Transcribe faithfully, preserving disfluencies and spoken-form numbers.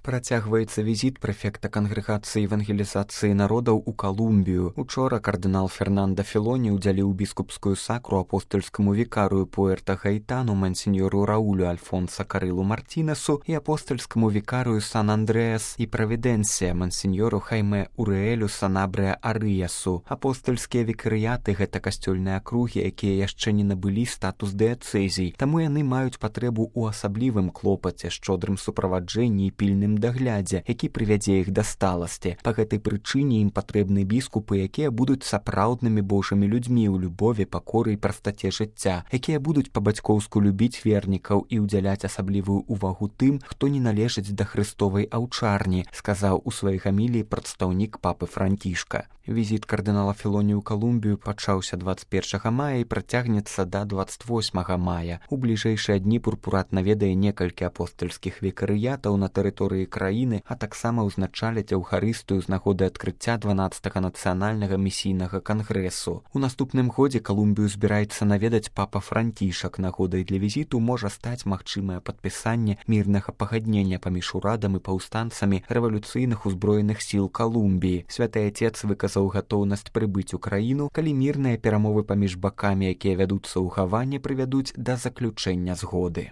Працягваецца візіт прэфекта кангрэгацыі евангелізацыі народаў у Калумбію. Учора кардынал Фернандо Філоні ўдзяліў біскупскую сакру апостольскаму вікарыю Пуэрта-Гайтану мансіньору Раулю Альфонса Карылу Мартінесу і апостольскаму вікарыю Сан-Андрэас і Правідэнсія мансіньору Хайме Урээлю Санабрэа Арыясу. Апостольскія вікарыяты — гэта касцёльныя акругі, якія яшчэ не набылі статус дыяцэзій, таму яны маюць патрэбу ў асаблівым клопаце, шчодрым суправаджэнні і пільным даглядзе, які прывядзе іх да сталасці. Па гэтай прычыне ім патрэбны біскупы, якія будуць сапраўднымі божымі людзьмі ў любові, пакоры і прастаце жыцця, якія будуць па-бацькоўску любіць вернікаў і ўдзяляць асаблівую ўвагу тым, хто не належыць да хрыстовай аўчарні, сказаў у сваёй гаміліі прадстаўнік папы Францішка. Візіт кардынала Філоні ў Калумбію пачаўся дваццаць першага мая і працягнецца да дваццаць восьмага мая. У бліжэйшыя дні пурпурат наведае некалькі апостольскіх вікарыятаў на тэрыторыі краіны, а таксама ўзначаляць аўхарыстыю з нагоды адкрыцця дванаццатага нацыянальнага місійнага кангрэсу. У наступным годзе Калумбію збіраецца наведаць папа Францішак. Нагодай для візіту можа стаць магчымае падпісанне мірнага пагаднення паміж урадам і паўстанцамі рэвалюцыйных узброеных сіл Калумбіі. Святы Отец выказаў гатоўнасць прыбыць у краіну, калі мірныя перамовы паміж бакамі, якія вядуцца ў Гаване, прывядуць да заключэння згоды.